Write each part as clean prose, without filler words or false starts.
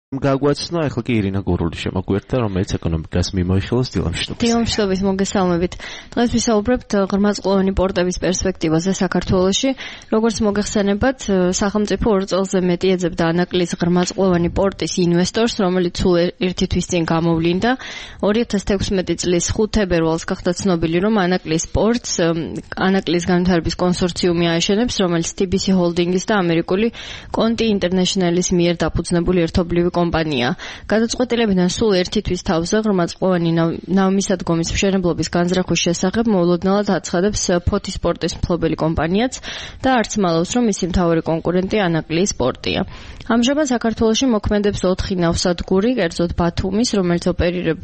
გაგვაცნო ახლა კი ირინა გურული შემოგვერთა, რომელიც ეკონომიკას მიმოიხილავს დილამშვიდობის. დილამშვიდობის მოგესალმებით. დღეს ვისაუბრებთ ღრმაწლოვანი პორტების პერსპექტივაზე საქართველოში. Როგორც მოგეხსენებათ, სახელმწიფო 2 წელზე მეტი ეძებდა ანაკლის ღრმაწლოვანი პორტის ინვესტორს, რომელიც სულ ერთი თვის წინ გამოვლინდა. 2016 წლის 5 თებერვალს გახდა ცნობილი, რომ ანაკლის პორტს ანაკლის განვითარების კონსორციუმი აეშენებს, რომელიც TBC ჰოლდინგის და ამერიკული კონტი ინტერნეშნალის მიერ დაფუძნებული ერთობლივი კომპანია. გადაწყვეტილებიდან სულ ერთი თვის თავზე ღრმაწლოვანი ნავმისადგომის მშენებლობის განზრახვის შესახებ მოულოდნელად აცხადებს ფოთის პორტის მფლობელი კომპანიაც და არც მალავს, რომ მისი მთავარი კონკურენტი ანაკლის პორტია. ამჟამად საქართველოში მოქმედებს 4 ნავსადგური, კერძოდ ბათუმის,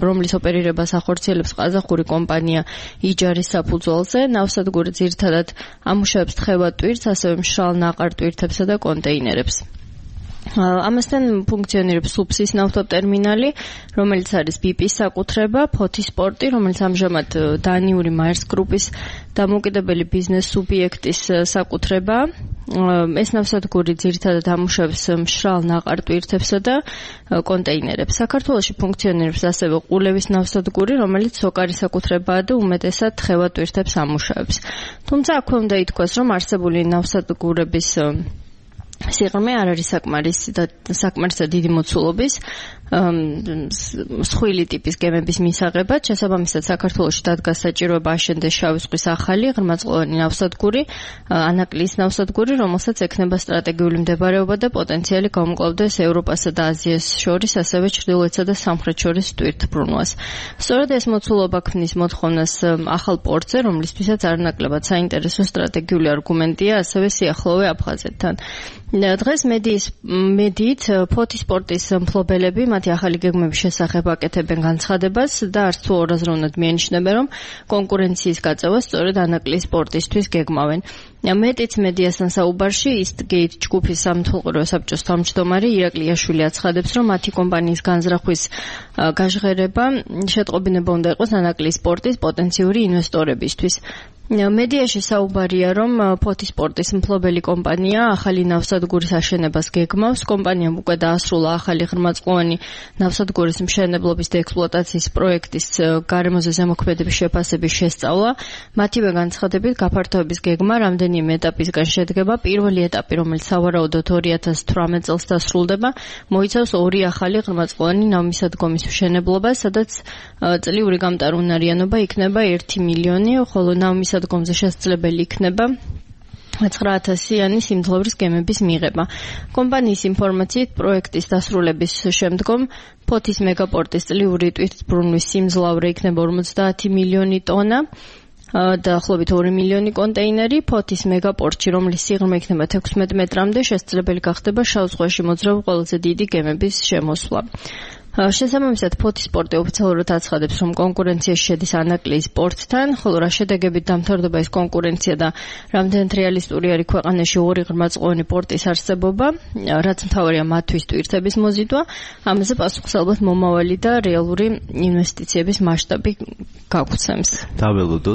რომლის ოპერირებას ახორციელებს ყაზახური კომპანია იჯარის საფუძველზე. ნავსადგური ძირითადად ამუშავებს თხევად ტვირთს, ასევე მშრალ ნაყარ ტვირთებსა და კონტეინერებს. ამასთან ფუნქციონირებს სუფსის ნავთობტერმინალი, რომელიც არის BP-ის საკუთრება, ფოთის პორტი, რომელიც ამჟამად დანიური მაერს გრუპის დამოუკიდებელი ბიზნეს სუბიექტის საკუთრება. ეს ნავსადგური ძირითადად ამუშავებს მშრალ ნაყარ ტვირთებსა და კონტეინერებს. საქართველოში ფუნქციონირებს ასევე ყულევის ნავსადგური, რომელიც სოკარის საკუთრებაა და უმეტესად თხევად ტვირთებს ამუშავებს. თუმცა აქვე უნდა ითქვას, რომ არსებული ნავსადგურების სიღრმე არ არის საკმარისად დიდი მოცულობის მსხვილი ტიპის გემების მისაღებად. შესაბამისად, საქართველოში დადგა საჭიროება აშენდეს შავი ზღვის ახალი ღრმაწლოვანი ნავსადგური, ანაკლის ნავსადგური, რომელსაც ექნება სტრატეგიული მდებარეობა და პოტენციალი გამკლავდეს ევროპასა და აზიას შორის, ასევე ჩრდილოეთსა და სამხრეთ შორის ტვირთბრუნვას. სწორედ ეს მოცულობა ქმნის მოთხოვნას ახალ პორტზე, რომლისთვისაც არანაკლებად საინტერესო სტრატეგიული არგუმენტია ასევე სიახლოვე აფხაზეთთან. დღეს მედიით ფოთის პორტის მფლობელები მათი ახალი გეგმების შესახებ აკეთებენ განცხადებას და არც თუ ორაზროვნად მიანიშნებენ, რომ კონკურენციის გაწევა სწორედ ანაკლის პორტისთვის გეგმავენ. მეტიც მედიასთან საუბარში Eastgate ჯგუფის სამეთვალყურეო საბჭოს თავმჯდომარე ირაკლი იაშვილი აცხადებს, რომ მათი კომპანიის განზრახვის გაჟღერება შეტყობინება უნდა იყოს ანაკლის პორტის პოტენციური ინვესტორებისთვის. მედიაში საუბარია, რომ ფოთის პორტის მფლობელი კომპანია ახალი ნავსადგურის აშენებას გეგმავს. კომპანიამ უკვე დაასრულა ახალი ღრმაწლოვანი ნავსადგურის მშენებლობის და ექსპლუატაციის პროექტის გარემოზე ზემოქმედების შეფასების შესწავლა. მათივე განცხადებით, გაფართოების გეგმა რამდენიმე ეტაპისგან შედგება. პირველი ეტაპი, რომელიც სავარაუდოდ 2018 წელს დასრულდება, მოიცავს 2 ახალი ღრმაწლოვანი ნავმისადგომის მშენებლობა, სადაც წლიური გამტარუნარიანობა იქნება 1 მილიონი, ხოლო ნავმისადგომზე შესაძლებელი იქნება 9,000-იანი სიმძლავრის გემების მიღება. კომპანიის ინფორმაციით, პროექტის დასრულების შემდგომ ფოთის მეგაპორტის წლიური ტვირთბრუნვის სიმძლავრე იქნება 50 მილიონი ტონა. დაახლოებით 2 მილიონი კონტეინერი. ფოთის მეგაპორტში, რომლის სიღრმე იქნება 16 მეტრამდე, შესაძლებელი გახდება შავ ზღვაში მოძრავი ყველაზე დიდი გემების შემოსვლა. შესაბამისად, ფოთის პორტი ოფიციალურად აცხადებს, რომ კონკურენციაში შედის ანაკლის პორტთან, ხოლო რა შედეგებით დამთავრდება ეს კონკურენცია და რამდენად რეალისტური არის ქვეყანაში 2 ღრმაწლოვანი პორტის არსებობა, რაც მთავარია მათთვის ტვირთების მოზიდვა, ამაზე პასუხს ალბათ მომავალი და რეალური ინვესტიციების მასშტაბი გაგვცემს. დაველოდოთ